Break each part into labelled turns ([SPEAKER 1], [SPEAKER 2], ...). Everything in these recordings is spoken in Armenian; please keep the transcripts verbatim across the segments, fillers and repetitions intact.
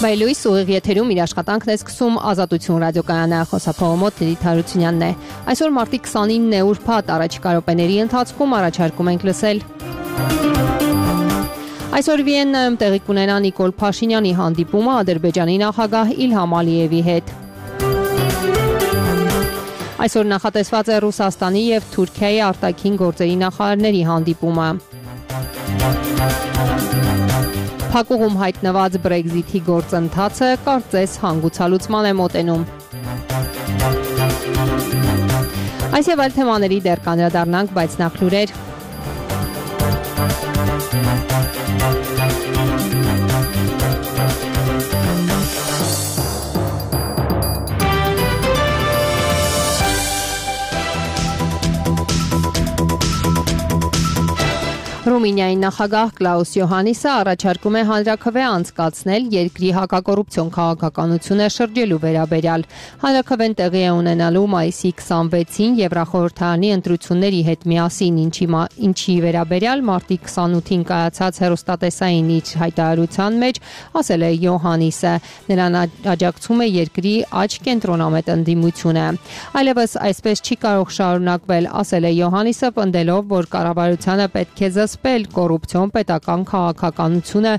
[SPEAKER 1] Բայլույս ուղիղ եթերում իր աշխատանքն է սկսում Ազատություն ռադիոկայանը, խոսափողոմոտ Լիլիթ Հարությունյանն է։ Այսօր մարտի քսանինն է ուրբաթ, առաջիկա րոպեների ընթացքում առաջարկում ենք լսել։ Այսօր Վիեննայում տեղի կունենա Նիկոլ Փաշինյանի հանդիպումը Ադրբեջանի նախագահ Իլհամ Ալիևի հետ։ Այսօր նախատեսված է Ռուսաստանի և Թուրքիայի արտաքին գործերի նախարարների հանդիպումը։ Փակուղում հայտնված Բրեքզիթի գործընթացը կարծես հանգուցալուծման է մոտենում։ Այս և այլ թեմաների դեռ կանդրադառնանք, բայց նախ լուրեր։ Ռումինիայի նախագահ Կլաուս Յոհաննիսը առաջարկում է հանրաքվե անցկացնել երկրի հակակոռուպցիոն քաղաքականությունը շրջելու վերաբերյալ։ Հանրաքվեն տեղի է ունենալու մայիսի քսանվեցին Եվրախորհրդարանի ընտրությունների հետ միասին, ինչի, ինչի վերաբերյալ մարտի քսանութին կայացած հեռուստատեսային իր հայտարարության մեջ ասել է Յոհաննիսը։ Նրան աջակցում է երկրի աջ կենտրոնամետ ընդդիմությունը։ Այլևս այսպես չի կարող շարունակվել, ասել է Յոհաննիսը, պնդելով, որ կառավարությանը պետք է զսպել կոռուպցիոն պետական քաղաքականությունը,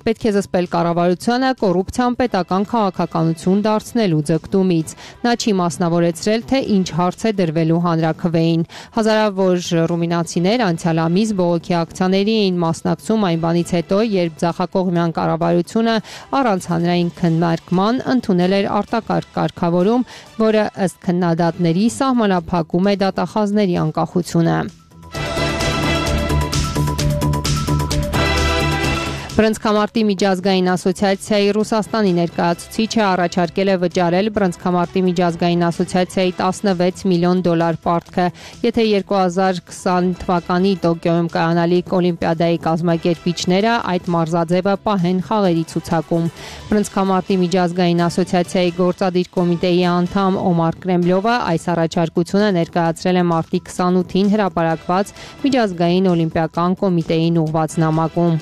[SPEAKER 1] պետք է զսպել կառավարությանը կոռուպցիան պետական քաղաքականություն դարձնելու ձգտումից։ Նա չի մասնավորեցրել, թե ինչ հարց է դրվելու հանրաքվեին։ Հազարավոր ռումինացիներ անցյալ ամիս բողոքի ակցիաների էին մասնակցում այն բանից հետո, երբ ձախակողմյան կառավարությունը առանց հանրային քննարկման ընդունել էր արտակարգ կարգավորում, որը ըստ քննադատների սահմանափակում է դատախազների անկախությունը։ Բռնցքամարտի միջազգային ասոցիացիայի Ռուսաստանի ներկայացուցիչը առաջարկել է վճարել Բռնցքամարտի միջազգային ասոցիացիայի տասնվեց միլիոն դոլար պարտքը, եթե երկու հազար քսան թվականի Տոկիոյում կայանալիք Օլիմպիադայի կազմակերպիչները այդ մարզաձևը պահեն խաղերի ցուցակում։ Բռնցքամարտի միջազգային ասոցիացիայի գործադիր կոմիտեի անդամ Օմար Կրեմլովը այս առաջարկությունը ներկայացրել է մարտի քսանութին հրապարակված միջազգային օլիմպիական կոմիտեին ուղղված նամակում։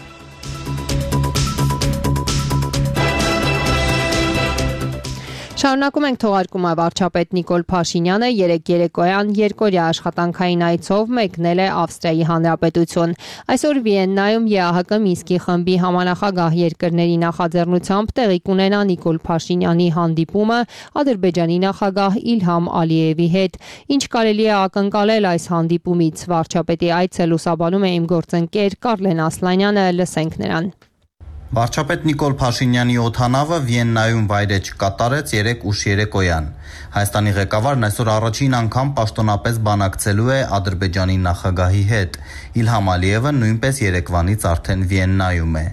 [SPEAKER 1] Շարունակում ենք թողարկումը։ Վարչապետ Նիկոլ Փաշինյանը երեկ երեկոյան երկօրյա աշխատանքային այցով մեկնել է Ավստրիայի Հանրապետություն։ Այսօր Վիեննայում ԵԱՀԿ Մինսկի խմբի համանախագահ երկրների նախաձեռնությամբ տեղի կունենա Նիկոլ Փաշինյանի հանդիպումը Ադրբեջանի նախագահ Իլհամ Ալիևի հետ։ Ինչ կարելի է ակնկալել այս հանդիպումից։ Վարչապետի այցը լուսաբանում է իմ գործընկեր Կարլեն Ասլանյանը, լսենք նրան։
[SPEAKER 2] Վարչապետ Նիկոլ Փաշինյանի օդանավը Վիեննայում վայրէջք կատարեց երեկ ուշ երեկոյան։ Հայաստանի ղեկավարն այսօր առաջին անգամ պաշտոնապես բանակցելու է Ադրբեջանի նախագահի հետ։ Իլհամ Ալիևը նույնպես երեկվանից արդեն Վիեննայում է։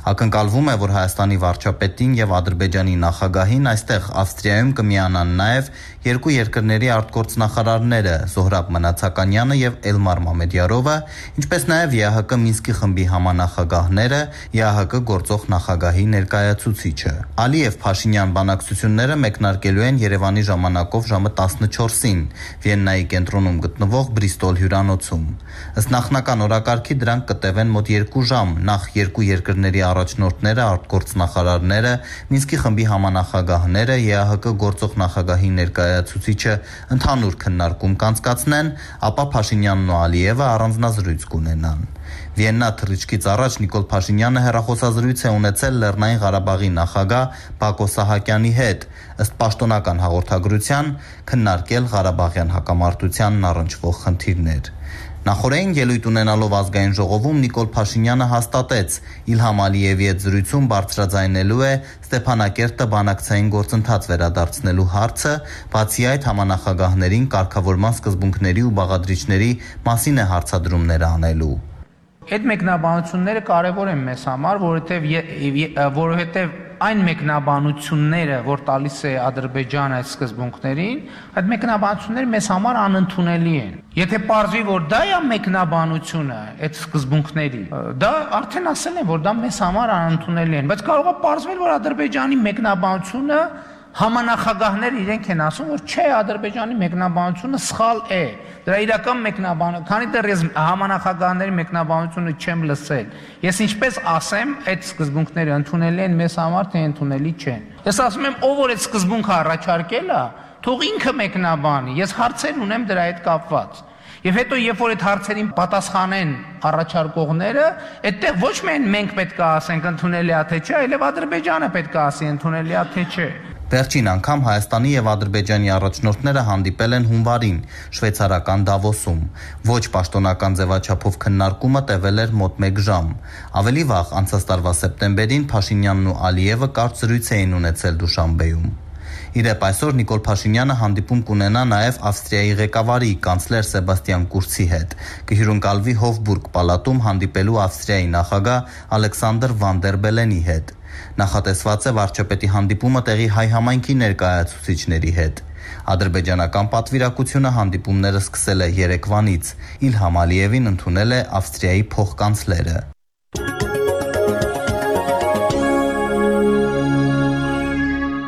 [SPEAKER 2] Ակնկալվում է, որ Հայաստանի վարչապետին եւ Ադրբեջանի նախագահին այստեղ Ավստրիայում կմիանան նաեւ երկու երկրների արտգործնախարարները Զոհրաբ Մնացականյանը եւ Էլմար Մամեդյարովը, ինչպես նաեւ ԵԱՀԿ Մինսկի խմբի համանախագահները, ԵԱՀԿ գործող նախագահի ներկայացուցիչը։ Ալիև Փաշինյան բանակցությունները մեկնարկելու են Երևանի ժամանակով ժամը տասնչորսին Վիեննայի կենտրոնում գտնվող Բրիստոլ հյուրանոցում։ Ըստ նախնական օրակարգի դրանք կտևեն մոտ երկու ժամ, նախ երկու երկրների առաջնորդները, արտգործնախարարները, Մինսկի խմբի համանախագահները, ԵԱՀԿ գործող նախագահի ներկայացուցիչը ընդհանուր քննարկում կանցկացնեն, ապա Փաշինյանն ու Ալիևը առանձնազրույց կունենան։ Վիեննա թռիչքից առաջ Նիկոլ Փաշինյանը հեռախոսազրույց է ունեցել Լեռնային Ղարաբաղի նախագահ Բակո Սահակյանի հետ, ըստ պաշտոնական հաղորդագրության քննարկել Ղարաբաղյան հակամարտությանն առնչվող խնդիրներ։ Նախորդին ելույթ ունենալով ազգային ժողովում Նիկոլ Փաշինյանը հաստատեց, Իլհամ Ալիևի հետ զրույցում բարձրաձայնելու է Ստեփանակերտը բանակցային գործընթաց վերադարձնելու հարցը, բացի այդ համանախագահներին կարգավորման սկզբունքների ու բաղադրիչների մասին է հարցադրումներ անելու։
[SPEAKER 3] Այդ մեկնաբանությունները կարևոր են մեզ համար, որովհետև որովհետև այն մեկնաբանությունները, որ տալիս է Ադրբեջանը այդ սկզբունքներին, այդ մեկնաբանությունները մեզ համար անընդունելի են։ Եթե պարզվի, որ դա է մեկնաբանությունը այդ սկզբունքների, դա արդեն ասել են, որ դա մեզ համար անընդունելի են, բայց կարող է պարզվել, որ Ադրբեջանի մեկնաբանությունը Համանախագահները իրենք են ասում, որ չէ, Ադրբեջանի մեկնաբանությունը սխալ է։ Դրա իրական մեկնաբանը, քանի դեռ ես համանախագահների մեկնաբանությունը չեմ լսել, ես ինչպես ասեմ, այդ սկզբունքները ընդունելի են մեզ համար, թե ընդունելի չեն։ Ես ասում եմ, ով որ այդ սկզբունքը առաջարկել է, թող ինքը մեկնաբանի, ես հարցեր ունեմ դրա հետ կապված։ Եվ հետո երբ որ այդ հարցերին պատասխանեն առաջարկողները, այդտեղ ոչ միայն մենք պետք է ասենք ընդունելի է թե չէ, այլև Ադրբեջանը պետք է ասի ընդունելի է թե չէ։
[SPEAKER 2] Վերջին անգամ Հայաստանի եւ Ադրբեջանի առաջնորդները հանդիպել են հունվարին շվեյցարական Դավոսում։ Ոչ պաշտոնական ձևաչափով քննարկումը տևել էր մոտ մեկ ժամ։ Ավելի վաղ անցած տարվա սեպտեմբերին Փաշինյանն ու Ալիևը կարծրույց էին ունեցել Դուշանբեում։ Իրեպ այսօր Նիկոլ Փաշինյանը հանդիպում կունենա նաև Ավստրիայի ղեկավարի կանցլեր Սեբաստիան Կուրցի հետ։ Կհյուրընկալվի Հոֆբուրգ պալատում հանդիպելու Ավստրիայի նախագահ Ալեքսանդր Վան դեր Բելենի հետ։ Նախատեսված է վարչապետի հանդիպումը տեղի հայ համայնքի ներկայացուցիչների հետ։ Ադրբեջանական պատվիրակությունը հանդիպումները սկսել է երեկվանից։ Իլհամ Ալիևին ընդունել է Ավստրիայի փոխկանցլերը։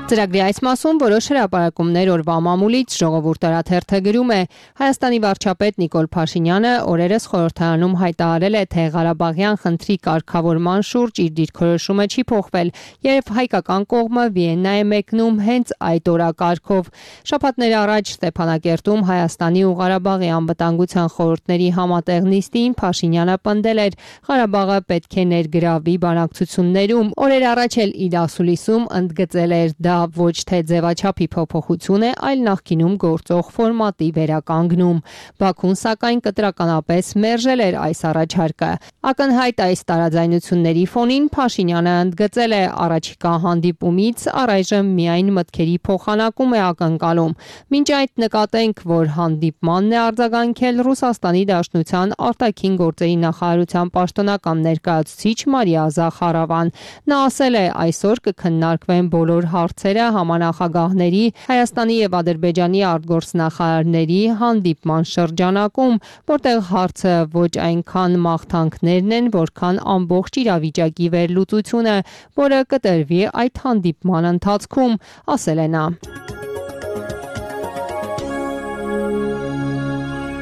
[SPEAKER 1] Ծրագրի այս մասում որոշ հրապարակումներ օրվա մամուլից ժողովուրդ օրաթերթը գրում է Հայաստանի վարչապետ Նիկոլ Փաշինյանը օրերս խորհրդարանում հայտարարել է, թե Ղարաբաղյան խնդրի կարգավորման շուրջ իր դիրքորոշումը չի փոխվել, երբ հայկական կողմը Վիեննա է մեկնում հենց այդ օրակարգով։ Շաբաթներ առաջ Ստեփանակերտում Հայաստանի ու Ղարաբաղի անվտանգության խորհուրդների համատեղ նիստին Փաշինյանը պնդել էր Ղարաբաղը պետք է ներգրավվի բանակցություններում։ Օրեր առաջ էլ իր ասուլիսում ընդգծել էր դա ոչ թե ձևաչափի փոփոխություն է, այլ նախկինում գործող ֆորմատի վերականգնում։ Բաքուն սակայն կտրականապես մերժել էր այս առաջարկը։ Ակնհայտ այս տարաձայնությունների ֆոնին Փաշինյանը ընդգծել է առաջիկա հանդիպումից առայժմ միայն մտքերի փոխանակում է ակնկալում։ Մինչ այդ նկատենք, որ հանդիպմանն է արձագանքել Ռուսաստանի Դաշնության արտաքին գործերի նախարարության պաշտոնական ներկայացուցիչ Մարիա Զախարովան։ Նա ասել է, այսօր կքննարկվեն բոլոր հարցերը համանախագահների Հայաստանի եւ Ադրբեջանի արտգործնախարարների հանդիպման շրջանակում, որտեղ հարցը ոչ այնքան մաղթանքներն են, որքան ամբողջ իրավիճակի վերլուծությունը, որը կտրվի այդ հանդիպման ընթացքում, ասել է նա։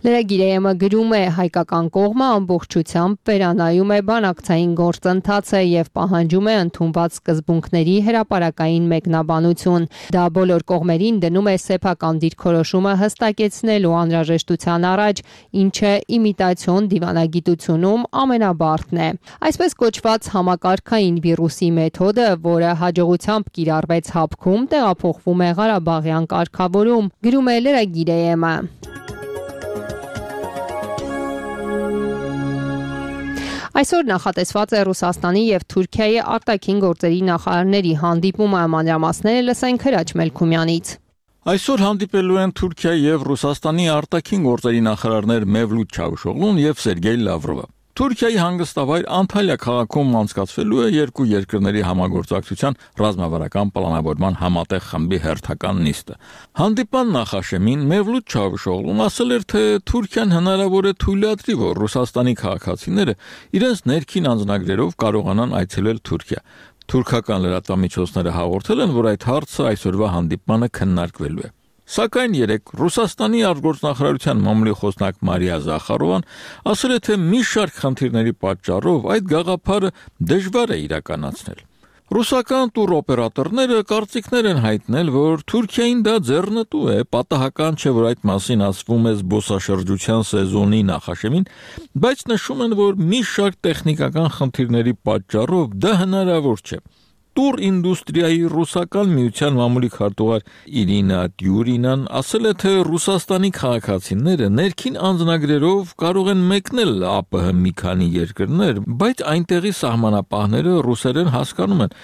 [SPEAKER 1] Լրագիրը գրում է հայկական կողմը ամբողջությամբ վերանայում է բանակցային գործընթացը եւ պահանջում է ընդունված սկզբունքների հրապարակային մեկնաբանություն։ Դա բոլոր կողմերին դնում է սեփական դիրքորոշումը հստակեցնելու անհրաժեշտության առաջ, ինչը իմիտացիոն դիվանագիտությունում ամենաբարդն է։ Այսպես կոչված համակարգային վիրուսի մեթոդը, որը հաջողությամբ կիրառվեց Հապքում, տեղափոխվում է Ղարաբաղյան կարգավորում, գրում է լրագիրը։ Այսօր նախատեսված է Ռուսաստանի եւ Թուրքիայի արտաքին գործերի նախարարների հանդիպումը, մանրամասները լսենք Հրաչ Մելքումյանից։
[SPEAKER 4] Այսօր հանդիպելու են Թուրքիայի եւ Ռուսաստանի արտաքին գործերի նախարարներ Մևլութ Չավուշօղլուն եւ Սերգեյ Լավրովը։ Թուրքիայի հանգստավայր Անտալիա քաղաքում անցկացվելու է երկու երկրների համագործակցության ռազմավարական պլանավորման համատեղ խմբի հերթական նիստը։ Հանդիպան նախաշեմին Մևլութ Չավուշօղլուն ասել էր, թե Թուրքիան հնարավոր է թույլատրի, որ Ռուսաստանի քաղաքացիները իրենց ներքին անձնագրերով կարողանան այցելել Թուրքիա։ Թուրքական լրատվամիջոցները հաղորդել են, որ այդ հարցը այսօրվա հանդիպմանը քննարկվելու է։ Սակայն երեկ Ռուսաստանի արտգործնախարարության մամուլի խոսնակ Մարիա Զախարովան ասել է, թե մի շարք խնդիրների պատճառով այդ գաղափարը դժվար է իրականացնել։ Ռուսական տուրօպերատորները կարծիքներ են հայտնել, որ Թուրքիային դա ձեռնտու է, պատահական չէ, որ այդ մասին ասվում է զբոսաշրջության սեզոնի նախաշեմին, բայց նշում են, որ մի շարք տեխնիկական խնդիրների պատճառով դա հնարավոր չէ։ Տուր ինդուստրիայի ռուսական միության մամուլի քարտուղար Իրինա Դյուրինան ասել է, թե Ռուսաստանի քաղաքացիները ներքին անձնագրերով կարող են մեկնել ԱՊՀ մի քանի երկրներ, բայց այնտեղի սահմանապահները ռուսերեն հասկանում են,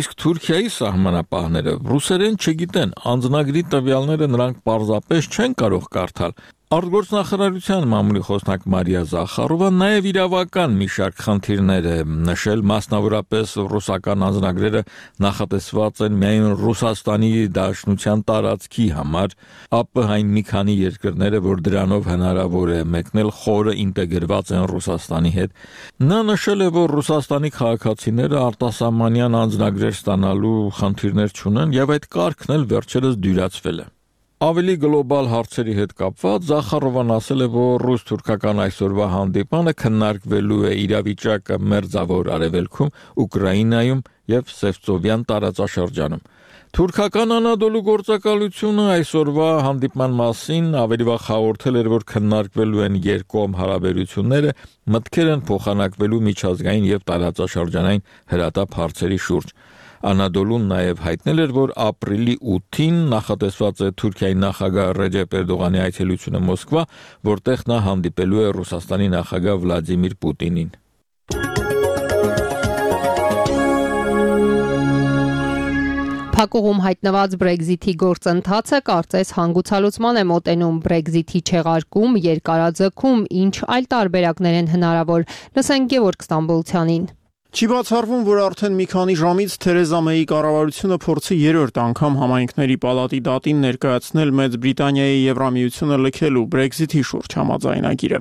[SPEAKER 4] իսկ Թուրքիայի սահմանապահները ռուսերեն չգիտեն, անձնագրի տվյալները նրանք պարզապես չեն կարող կարդալ։ Արտգործնախարարության մամուլի խոսնակ Մարիա Զախարովը նաև իրավական մի շարք խնդիրներ է նշել, մասնավորապես ռուսական անձնագրերը նախատեսված են միայն Ռուսաստանի Դաշնության տարածքի համար, ԱՊՀ-ին մի քանի երկրները, որ դրանով հնարավոր է մեկնել, խորը ինտեգրված են Ռուսաստանի հետ։ Նա նշել է, որ Ռուսաստանի քաղաքացիները արտասահմանյան անձնագրեր ստանալու խնդիրներ չունեն եւ այդ կարգն էլ վերջերս դյուրացվել է։ Ավելի գլոբալ հարցերի հետ կապված Զախարովան ասել է, որ ռուս-թուրքական այսօրվա հանդիպանը քննարկվելու է իրավիճակը Մերձավոր Արևելքում, Ուկրաինայում եւ Սևծովյան տարածաշրջանում։ Թուրքական Անադոլու գործակալությունը այսօրվա հանդիպման մասին ավելի վաղ հաղորդել էր, որ քննարկվելու են երկկողմ հարաբերությունները, մտքեր են փոխանակվելու միջազգային եւ տարածաշրջանային հրատապ հարցերի շուրջ։ Անադոլուն նաև հայտնել էր, որ ապրիլի ութին նախատեսված է Թուրքիայի նախագահ Ռեջեփ Էրդողանի այցելությունը Մոսկվա, որտեղ նա հանդիպելու է Ռուսաստանի նախագահ Վլադիմիր Պուտինին։
[SPEAKER 1] Փակուղում հայտնված Brexit-ի գործընթացը կարծես հանգուցալուծման է մոտենում Brexit-ի չեղարկում, երկարաձգում, ինչ այլ տարբերակներ են հնարավոր։ Լսենք Գևորգ Ստամբոլցյանին։
[SPEAKER 5] Չի բացառվում, որ արդեն մի քանի ժամից Թերեզա Մեյի կառավարությունը փորձի երրորդ անգամ համայնքների պալատի դատին ներկայացնել Մեծ Բրիտանիայի Եվրամիությունը լքելու Brexit-ի շուրջ համաձայնագիրը։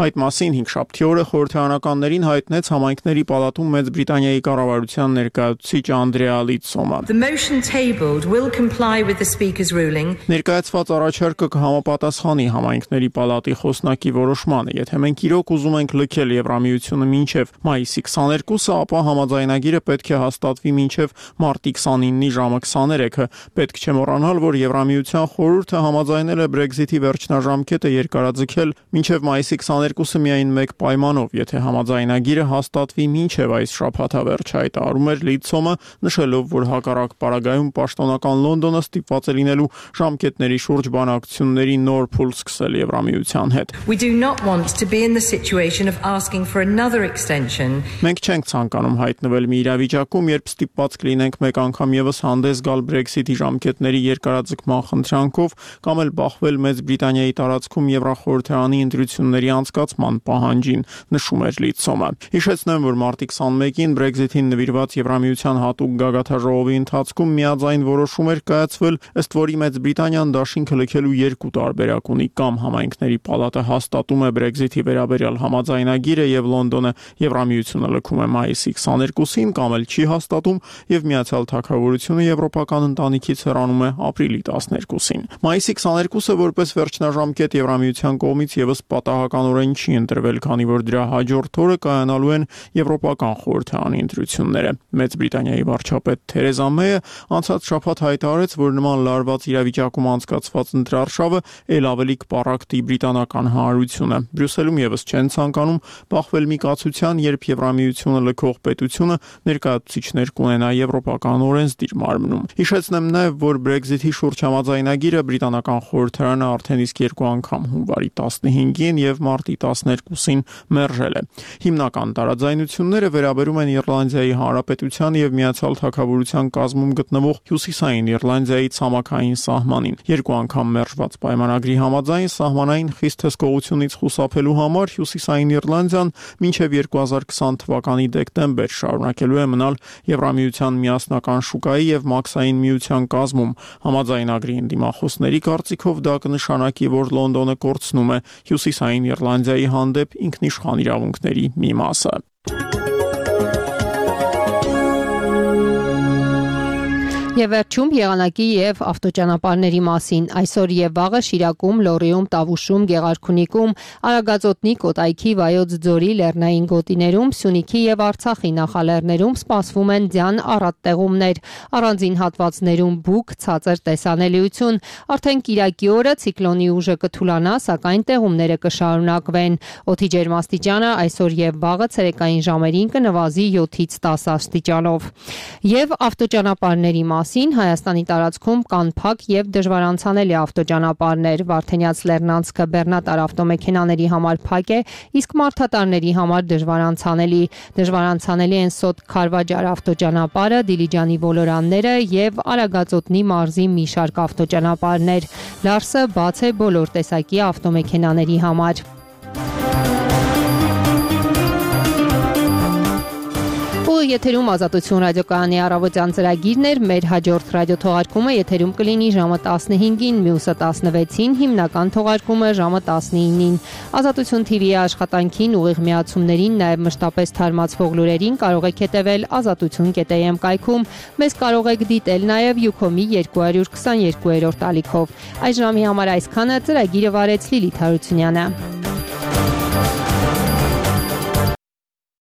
[SPEAKER 5] Այդ մասին հինգշաբթի օրը խորհրդարանականներին հայտնեց համայնքների պալատում Մեծ Բրիտանիայի կառավարության ներկայացուցիչ Անդրեա Լիցսոմը։
[SPEAKER 6] The motion tabled will comply with the speaker's ruling.
[SPEAKER 5] Ներկայացված առաջարկը կհամապատասխանի համայնքների պալատի խոսնակի որոշմանը, եթե մենք իրոք ուզում ենք լքել Եվրամիությունը մինչև մայիսի քսաներկուսը, ապա համաձայնագիրը պետք է հաստատվի մինչև մարտի քսանինի ժամը քսաներեքը։ Պետք չէ մոռանալ, որ Եվրամիության խորհուրդը համաձայնել է Brexit-ի վերջնաժամկետը երկարաձգել մինչև մայիսի քսաներկուսը միայն մեկ պայմանով, եթե համաձայնագիրը հաստատվի մինչև այս շաբաթավերջ, հայտարարում էր Լիցսոմը, նշելով, որ հակառակ պարագայում պաշտոնական Լոնդոնը ստիպված է լինելու ժամկետների շուրջ բանակցությունների նոր փուլ սկսել Եվրամիության հետ։
[SPEAKER 6] We do not want to be in the situation of asking for another extension.
[SPEAKER 5] Մենք չենք ցանկանում հայտնվել մի իրավիճակում, երբ ստիպված կլինենք մեկ անգամ եւս հանդես գալ Brexit-ի ժամկետների երկարաձգման խնդրանքով կամ էլ բախվել Մեծ Բրիտանիայի տարածքում Եվրախորհրդարանի ընտրությունների անցկացման պահանջին, նշում էր Լիցսոմը։ Հիշեցնեմ, որ մարտի քսանմեկին Brexit-ին նվիրված Եվրամիության հատուկ գագաթաժողովի ընթացքում միաձայն որոշում էր կայացվել, ըստ որի Մեծ Բրիտանիան դաշինքը լքելու երկու տարբերակ ունի, կամ համայնքների պալատը հաստատում է Brexit-ի վերաբերյալ համաձայնագիրը եւ Լոնդոնը Եվրամիությունը լքում է մայիսի քսաներկուսին, կամ էլ չի հաստատում եւ Միացյալ Թագավորությունը եվրոպական ընտանիքից հեռանում է ապրիլի տասներկուսին։ Մայիսի քսաներկուսը որպես վերջնաժամկետ Եվրամիության կողմից եւս պատահականորեն չի ընտրվել, քանի որ դրա հաջորդ օրը կայանալու են Եվրոպական խորհրդարանի ընտրությունները։ Մեծ Բրիտանիայի վարչապետ Թերեզա Մեյը անցած շաբաթ հայտարարեց, որ նման լարված իրավիճակում անցկացված ընտրարշավը ել ավելի կպառակտի բրիտանական հանրությունը։ Բրյուսելում եւս չեն ցանկանում բախվել մի կացության, երբ Եվրամիությունը լքող պետությունը ներկայացուցիչներ կունենա եվրոպական օրենսդիր մարմնում։ Հիշեցնեմ նաև, որ Brexit-ի շուրջ համաձայնագիրը բրիտանական խորհրդարանը արդեն իսկ երկու անգամ հունվարի տասնհինգին եւ մարտի տասներկուսին մերժել է։ Հիմնական տարաձայնությունները վերաբերում են Իռլանդիայի Հանրապետության եւ Միացյալ Թագավորության կազմում գտնվող Հյուսիսային Իռլանդիայի ցամաքային սահմանին։ Երկու անգամ մերժված պայմանագրի համաձայն սահմանային խիստ հսկողությունից խուսափելու համար Հյուսիսային Իռլանդիան մինչև երկու հազար քսան թվականի դեկտեմբեր շարունակելու է մնալ Եվրամիության միասնական շուկայի եւ մաքսային միության կազմում։ Համաձայնագրի ընդդիմախոսների կարծիքով դա կնշանակի, որ Լոնդոնը կորցնում է Հյուսիսային Իռլանդիայի հանդեպ ինքնիշխան իրավունքների մի մասը։
[SPEAKER 1] Եվ վերջում եղանակի եւ ավտոճանապարհների մասին։ Այսօր եւ վաղը Շիրակում, Լոռիում, Տավուշում, Գեղարքունիքում, Արագածոտնի, Կոտայքի, Վայոց ձորի լեռնային գոտիներում, Սյունիքի եւ Արցախի նախալեռներում սպասվում են ձյան առատ տեղումներ։ Առանձին հատվածներում բուք, ցածր տեսանելիություն։ Արդեն Կիրակի օրը ցիկլոնի ուժը կթուլանա, սակայն տեղումները կշարունակվեն։ Օդի ջերմաստիճանը այսօր եւ վաղը ցերեկային ժամերին կնվազի յոթից տասը աստիճանով։ Եվ ավտոճանապարհների մասին, Հայաստանի տարածքում կան փակ եւ դժվարանցանելի ավտոճանապարհներ, Վարդենյաց Լեռնանցքը բեռնատար ավտոմեքենաների համար փակ է, իսկ մարդատարների համար դժվարանցանելի։ Դժվարանցանելի են Սոտ Քարվաճար ավտոճանապարհը, Դիլիջանի ոլորանները եւ Արագածոտնի մարզի մի շարք ավտոճանապարհներ։ Լարսը բաց է բոլոր տեսակի ավտոմեքենաների համար։ Եթերում Ազատություն ռադիոկայանի առավոտյան ծրագիրն էր, մեր հաջորդ ռադիոթողարկումը եթերում կլինի ժամը տասնհինգին, մյուսը տասնվեցին, հիմնական թողարկումը ժամը տասնինին։ Ազատություն թի վի-ի աշխատանքին, ուղիղ միացումներին, նաև մշտապես թարմացվող լուրերին կարող եք հետևել ազատություն կետ էյ էմ կայքում։ Մեզ կարող եք դիտել նաև Յուքոմի երկու քսաներկուերորդ ալիքով։ Այս ժամի համար այսքանը, ծրագիրը վարեց Լիլիթ Հարությունյանը։